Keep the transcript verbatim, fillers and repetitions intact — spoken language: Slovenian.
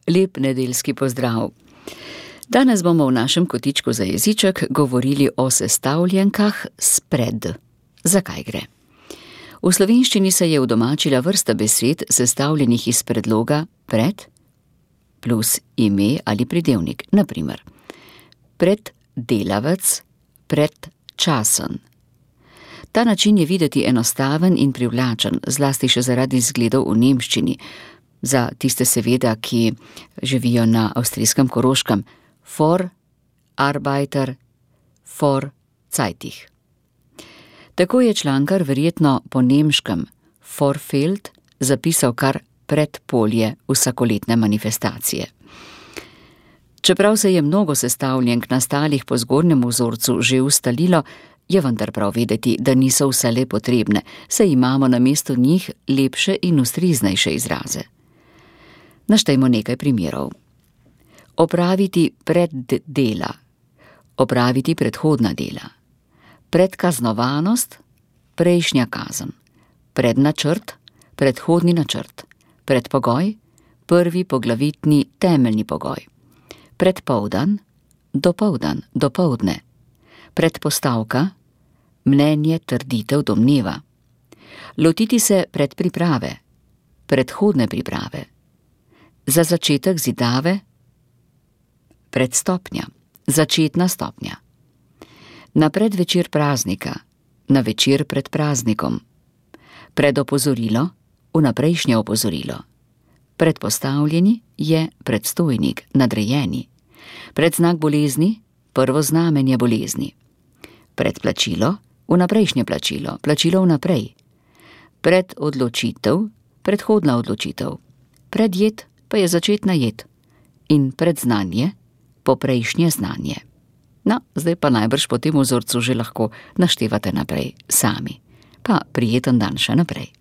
Lep nedeljski pozdrav. Danes bomo v našem kotičku za jeziček govorili o sestavljenkah spred. Zakaj gre? V slovenščini se je udomačila vrsta besed, sestavljenih iz predloga pred plus ime ali pridevnik. Na primer, preddelavec, predčasen. Ta način je videti enostaven in privlačen, zlasti še zaradi izgledov v nemščini. Za tiste seveda, ki živijo na avstrijskem Koroškem, for, arbeiter, for, zeitig. Tako je člankar verjetno po nemškem Vorfeld zapisal kar predpolje vsakoletne manifestacije. Čeprav se je mnogo sestavljenk nastalih po zgornjem vzorcu že ustalilo, je vendar prav vedeti, da niso vse le potrebne, saj imamo namesto njih lepše in ustreznejše izraze. Naštejmo nekaj primerov. Opraviti preddela, opraviti predhodna dela, predkaznovanost, prejšnja kazen, prednačrt, predhodni načrt, predpogoj, prvi poglavitni temeljni pogoj, predpoldan, dopoldan, dopoldne, predpostavka, mnenje, trditev, domneva, lotiti se predpriprave, predhodne priprave, za začetek zidave, predstopnja, začetna stopnja, na predvečer praznika, na večer pred praznikom, predopozorilo, vnaprejšnje opozorilo, predpostavljeni je predstojnik, nadrejeni, predznak bolezni, prvo znamenje bolezni, predplačilo, vnaprejšnje plačilo, plačilo vnaprej, predodločitev, predhodna odločitev, predjed pa je začetna jed in predznanje, poprejšnje znanje. No, zdaj pa najbrž po tem vzorcu že lahko naštevate naprej sami. Pa prijeten dan še naprej.